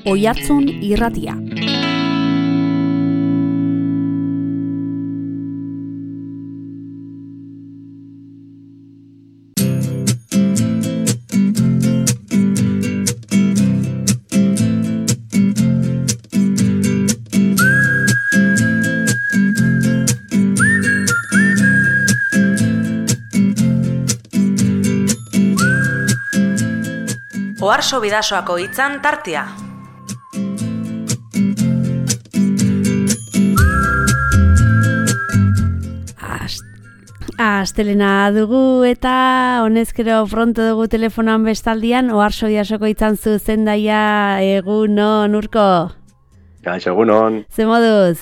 Oihartzun Irratia. Oharso Bidasoako hitzan tartea. Astelena dugu eta honezkero pronto dugu telefonan bestaldian Oharso Bidasoko hitzan zuzendaia egunon Urko. Gaixo egunon. Ze moduz?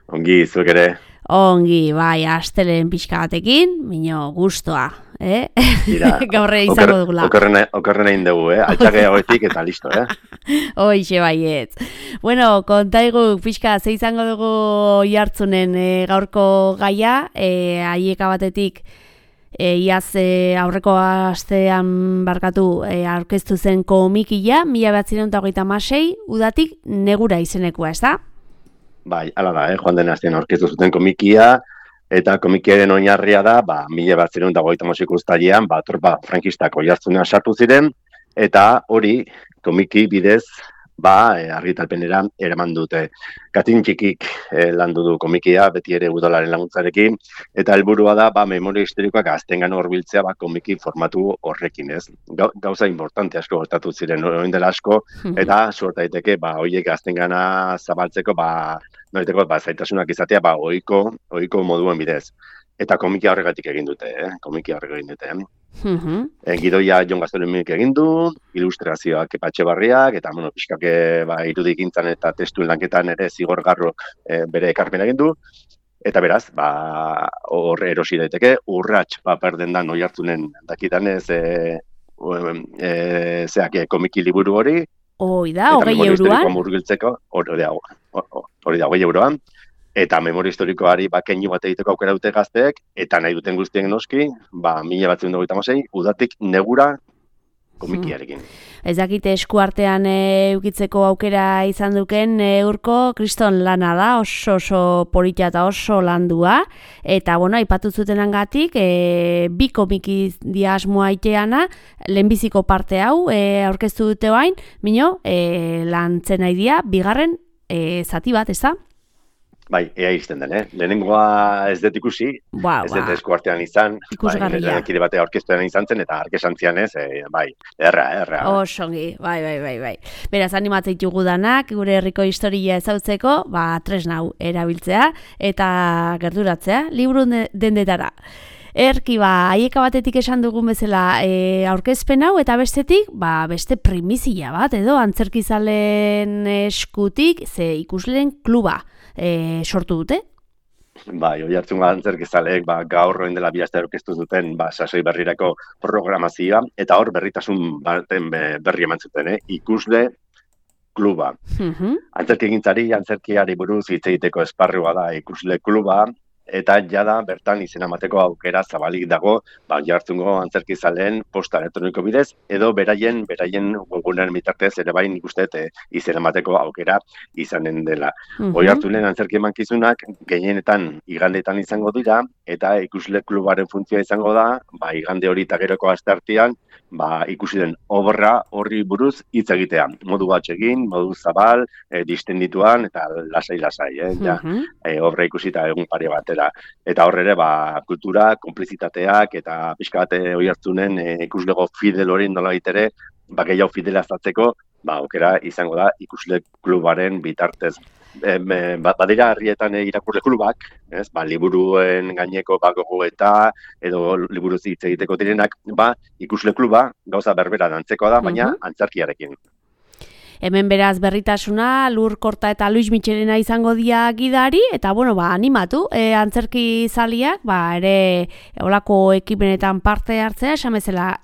Ongi, zuek ere. Ongi, bai, astelen pixka batekin, mino gustoa, Gaurre izango dugula. Okerren egin dugu, altxake hauetik eta listo, Hoixe baiet. Bueno, kontaigu pixka ze izango dugu Oihartzunen gaurko gaia, aieka batetik iaz aurreko astean barkatu aurkeztu zen komikia, 1926, udatik negura izenekoa, ez da? Bai, hala da, joan den astean aurkeztu zuten komikia, eta komikiaren oinarria da, 1926 uztailean, tropa frankistak Oihartzunean sartu ziren, eta hori komiki bidez, argitalpenera eraman dute. Katin txikik landu du komikia, beti ere udalaren laguntzarekin, eta helburua da, memoria historikoak gaztengana hurbiltzea komiki formatu horrekin, ez? Gauza importante asko gertatu ziren orain dela asko, eta suerta daiteke, horiek gaztengana zabaltzeko, zaitasunak izatea, ohiko moduen bidez. Eta komikia horregatik egin dute, Gidoia Jon Gaztelu-Minek egin du, ilustrazioak Kepa Etxebarriak, eta pixkak irudikintzan eta testuen lanketan ere Zigorgarrok bere ekarpena egin du. Eta beraz, hor erosi daiteke, urrats paper dendan Oihartzunen dakidanez komiki liburu hori. Hoi da, 20 euroan? Hori da, 20 euroan. Eta memoria historikoari keinu bat egiteko aukera dute gazteek, eta nahi duten guztien noski, 1926, udatik negura komikiarekin. Ez dakite eskuartean eukitzeko aukera izan duken Urko, kriston lana da, oso polita eta oso landua, eta aipatu zutenangatik, bi komiki asmoa iteana, lehenbiziko parte hau aurkeztu dute bain, lantzen nahi dia, bigarren zati bat, ez da? Bai, ea izten den, Lehenengoa ez dut ikusi, ez dut eskuartean izan, kide batea orkestuan izan zen, eta arkesantzian ez, erra. Osongi, bai. Beraz, animatzeitu danak, gure herriko historia ezautzeko, tresnau erabiltzea, eta gerturatzea, liburu dendetara. Erki, aieka batetik esan dugun bezala aurkezpen hau, eta bestetik, beste primizia bat, edo antzerkizalen eskutik, ze ikusleen kluba sortu dute? Bai, Oihartzun antzerkizaleek gaur orain dela 2 aste aurkeztu zuten sasoi berrirako programazioa, eta hor berritasun baten berri eman zuten, ikusle kluba. Antzerkiari buruz hitz egiteko esparrua da ikusle kluba, eta jada bertan izena emateko aukera zabalik dago Oihartzungo antzerkizaleen posta elektroniko bidez, edo beraien webgunean bitartez ere bai nik uste izena emateko aukera izanen dela. Oihartzunen antzerki emankizunak gehienetan igandeetan izango dira, eta ikusle klubaren funtzioa izango da, igande hori eta geroko asteartean, ikusi den obra horri buruz hitz egitea. Modu batsegin, modu zabal, distendituan, eta lasai, obra ikusita egun pare batera. Eta horre ere, kultura, konplizitateak, eta pixka bat Oihartzunen ikuslego fidel hori nola ere, gehiago fidelaztatzeko, aukera izango da ikusle klubaren bitartez. Badira herrietan irakurle klubak, liburuen gaineko gogoeta, edo liburuz hitz egiteko direnak, ikusle kluba gauza berbera dantzekoa da, baina antzerkiarekin. Hemen beraz berritasuna, Lur Korta eta Luis Michelena izango dia gidari, eta animatu, antzerki zaliak, ere olako ekipenetan parte hartzea, esan bezala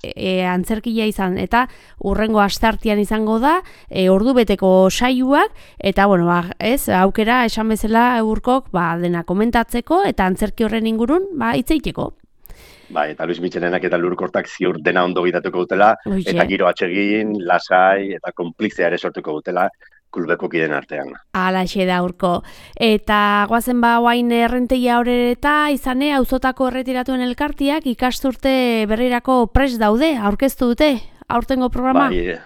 antzerkia izan, eta urrengo asteartean izango da, ordubeteko saioak, eta aukera esan bezala Urkok dena komentatzeko, eta antzerki horren ingurun hitz egiteko. Bai, eta Luis Michelenak eta Lurkortak ziur dena ondo gidatuko dutela, eta giro atsegin, lasai, eta konplizea ere sortuko dutela klubeko kideen artean. Alaxe da Urko. Eta guazen guain errentegia horreta, izane, auzotako erretiratuen elkartiak ikasturte berrirako prest daude, aurkeztu dute, aurtengo programa? Bai,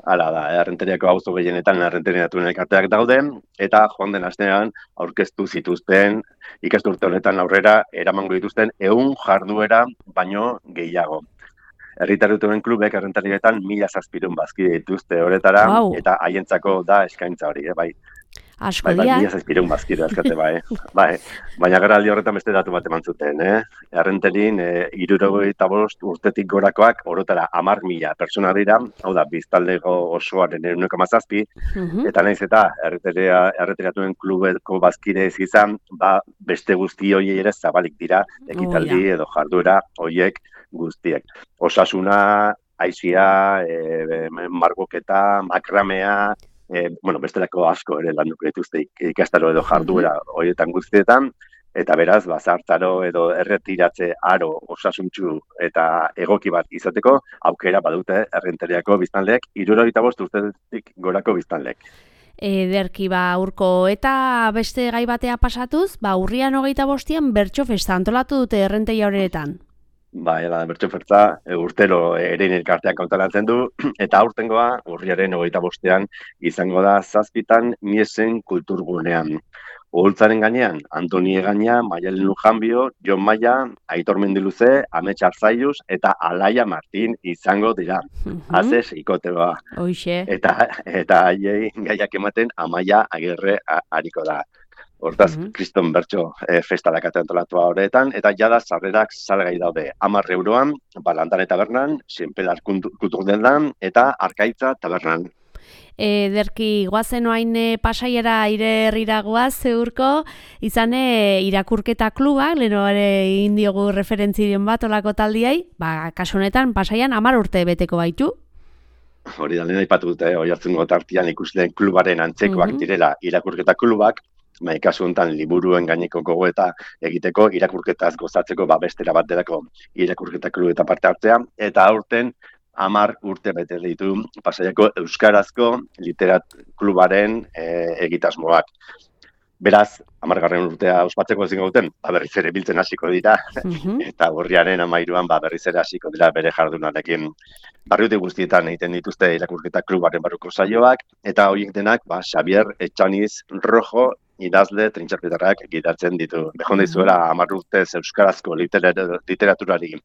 hala da, errenteriako auzo gehienetan errenteriatuen elkarteak daude, eta joan den astean aurkeztu zituzten ikasturte honetan aurrera eramango dituzten 100 jarduera baino gehiago. Herritarutuen klubek errentarietan 1.000 bazkide dituzte horretara, eta haientzako da eskaintza hori, bai. Asko dira. 1.000 bazkide azkate, bai. Baina geraldi horretan beste datu bat eman zuten, Errenterin 75 urtetik gorakoak orotara 10.000 pertsona dira, hau da, biztaldeko osoaren 1,7, eta nahiz eta erretiratuen klubeko bazkide ez izan, beste guzti horiei ere zabalik dira, ekitaldi edo jarduera horiek guztiek. Osasuna, aizia, margoketa, makramea, bestelako asko ere landuko dituzte ikastaro edo jarduera horietan guztietan, eta beraz, zartaro edo erretiratze aro osasuntsu eta egoki bat izateko, aukera badute errenteriako biztanleek, 75 urtetik gorako biztanleek. Ederki Urko, eta beste gai batea pasatuz, urrian 25an bertso festa antolatu dute errentegia horretan. Bai, bertso festa urtero erein elkarteak antolatzen du, eta aurtengoa urriaren 25ean izango da 7 Miesen kulturgunean. Oholtzaren gainean, Antoni Egaña, Maialen Lujanbio, Jon Maia, Aitor Mendiluze, Amets Arzaiuz eta Alaia Martin izango dira. Azez ikoteoa. Hoixe. Eta haiei gaiak ematen Amaia Agirre ariko da. Hortaz, kriston bertso festalak antolatua horretan, eta jada sarrerak salgai daude 10 euroan, Landan eta Tabernan, Senpelar kulturdendan, eta Arkaitza Tabernan. Ederki, guazen oain Pasaiara herrira guaz, Urko, izane irakurketa klubak, leno ere egin diogu referentzion bat olako taldiai, kasu honetan Pasaian 10 urte beteko baitu. Hori da, lehen aipatu dute, Oiartzungo tartean ikusleen klubaren antzekoak direla irakurketa klubak, kasu honetan liburuen gaineko gogoeta egiteko, irakurketaz gozatzeko bestera bat delako irakurketa klubeta parte hartzea, eta aurten 10 urte bete ditu Pasaiako Euskarazko Literat klubaren egitasmoak. Beraz, 10. urtea ospatzeko ezin gauten, berriz ere biltzen hasiko dira, eta urriaren 13an berriz ere hasiko dira bere jardunarekin. Barriute guztietan egiten dituzte irakurketa klubaren barruko saioak, eta horiek denak Xavier Etxaniz Rojo idazle trintxarpetarrak gidatzen ditu. Behon dizuela 10 urtez Euskarazko literaturari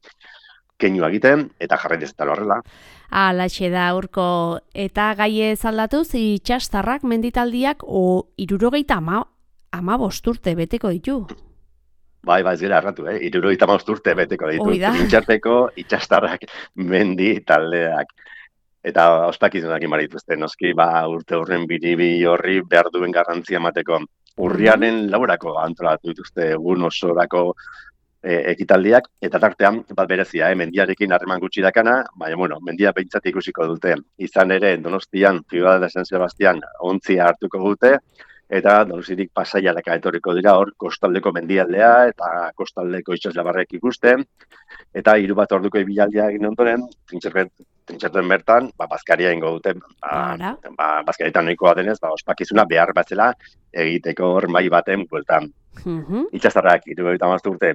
keinu egiten, eta jarraitzen eta horrela. Alaxe da, Urko, eta gai aldatuz, itxastarrak menditaldiak 75 urte beteko ditu. Bai, ez gara erratu, 75 urte beteko ditu. Trintxarteko itxastarrak mendi taldeak. Eta ospakizunak imar dituzte, noski, urte horren biribi horri behar duen garrantzia emateko. Urriaren laurako antolatu dituzte egun osorako ekitaldiak, eta tartean, berezia, mendiarekin harreman gutxi dakana, baina, mendia behintzat ikusiko dute. Izan ere, Donostian, Ciudad de San Sebastián, ontzia hartuko dute, eta Donostiatik Pasaiara etorriko dira, hor, kostaldeko mendialdea, eta kostaldeko itsaslabarrek ikusten, eta 3 bat orduko ibilaldia egin ondoren, trintxerten bertan, bazkaria ingo dute, bazkarietan nahikoa denez, ospakizuna behar batzela egiteko hor mai baten bueltan. Itxastarrak 75 urte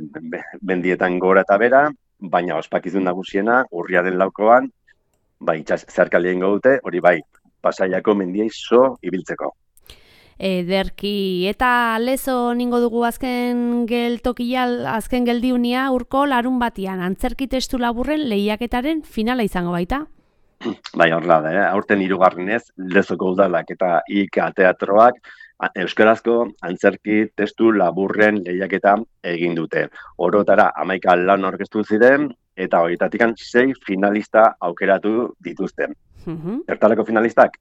mendietan gora eta bera, baina ospakizun nagusiena urriaren 4an, zeharkaldia ingo dute, hori Pasaiako mendiei ibiltzeko. Ederki, eta lezo ningo dugu azken geldiunia, Urko, larun batian, antzerki testu laburren lehiaketaren finala izango baita? Bai, horrela da, aurten 3. Lezoko udalak eta IK teatroak Euskarazko antzerki testu laburren lehiaketa egin dute. Orotara 11 lan aurkeztu ziren, eta horietatik 6 finalista aukeratu dituzten. Zertarako finalistak?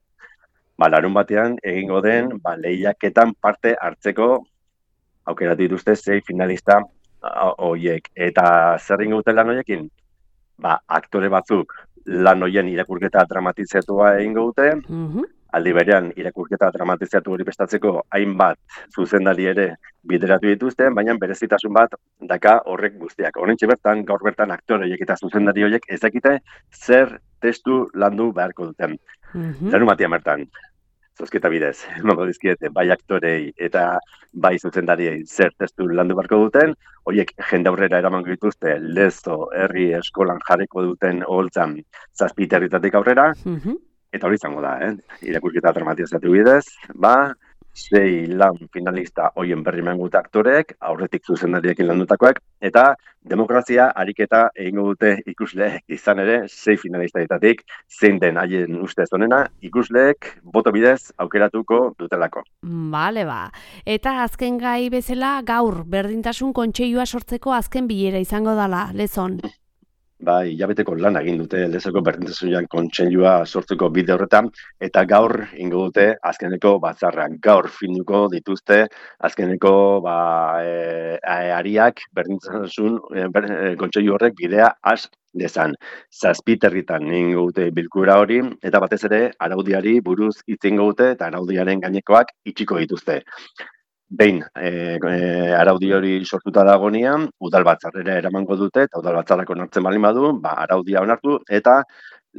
Larun batean egingo den lehiaketan parte hartzeko aukeratu dituzte 6 finalista horiek. Eta zer ingo dute lan horiekin? Aktore batzuk lan horien irakurketa dramatizatu egingo dute, Aldi berean, irakurketa dramatizatu hori prestatzeko hainbat zuzendari ere bideratu dituzte, baina berezitasun bat daka horrek guztiak. Horrentxe bertan, gaur bertan aktore horiek eta zuzendari horiek ez dakite zer testu landu beharko duten. Larunbatean bertan, zozketa bidez, emango dizkiete, bai aktorei eta bai zuzendariei zer testu landu beharko duten, horiek jende aurrera eramango dituzte Lezo herri eskolan jarriko duten oholtzan 7 herritatik aurrera, eta hori izango da, irakurketa dramatizatu bidez, 6 lan finalista hoien berri emango aktoreek, aurretik zuzendariekin landutakoak, eta demokrazia ariketa egingo dute ikusleek izan ere, 6 finalistaetatik zein den haien ustez onena, ikusleek boto bidez aukeratuko dutelako. Bale, Eta azken gai bezala gaur berdintasun kontseilua sortzeko azken bilera izango dala, Lezon. Hilabeteko lan egin dute Lezoko berdintasunean kontseilua sortzeko bide horretan, eta gaur ingo dute azkeneko batzarra. Gaur finduko dituzte azkeneko ariak berdintasun kontseilu horrek bidea has dezan. 7 herritan ingo dute bilkura hori, eta batez ere araudiari buruz hitz ingo dute eta araudiaren gainekoak itxiko dituzte. Behin, araudi hori sortuta dagoenean, udalbatzarrera eramango dute, eta udalbatzarrak onartzen baldin badu, araudia onartu, eta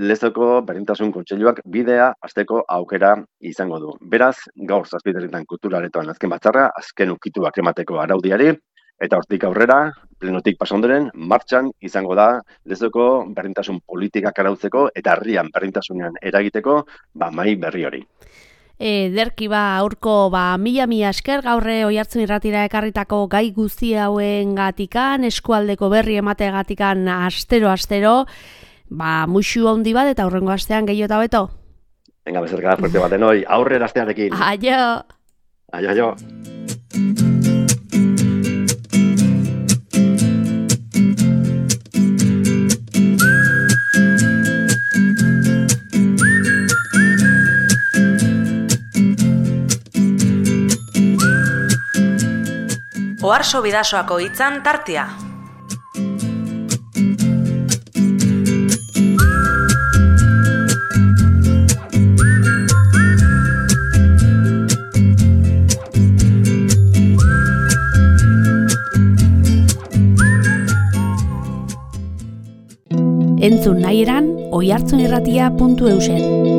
Lezoko berdintasun kontseiluak bidea hasteko aukera izango du. Beraz, gaur 7 herritan kulturaretoan azken batzarra, azken ukituak emateko araudiari, eta hortik aurrera, plenotik pasa ondoren, martxan izango da Lezoko berdintasun politikak arautzeko, eta herrian berdintasunean eragiteko, mahai berri hori. Ederki aurko mila esker gaurre Oihartzun Irratira ekarritako gai guzti hauen gatikan, eskualdeko berri emateagatikan astero, muxu handi bat eta aurrengo astean gehiago eta beto. Venga, bezerka, fuerte baten hoi, aurrera astearekin. Aio! Aio! Oharso Bidasoako hitzan tartea. Entzun nahi eran oihartzunirratia.eusen.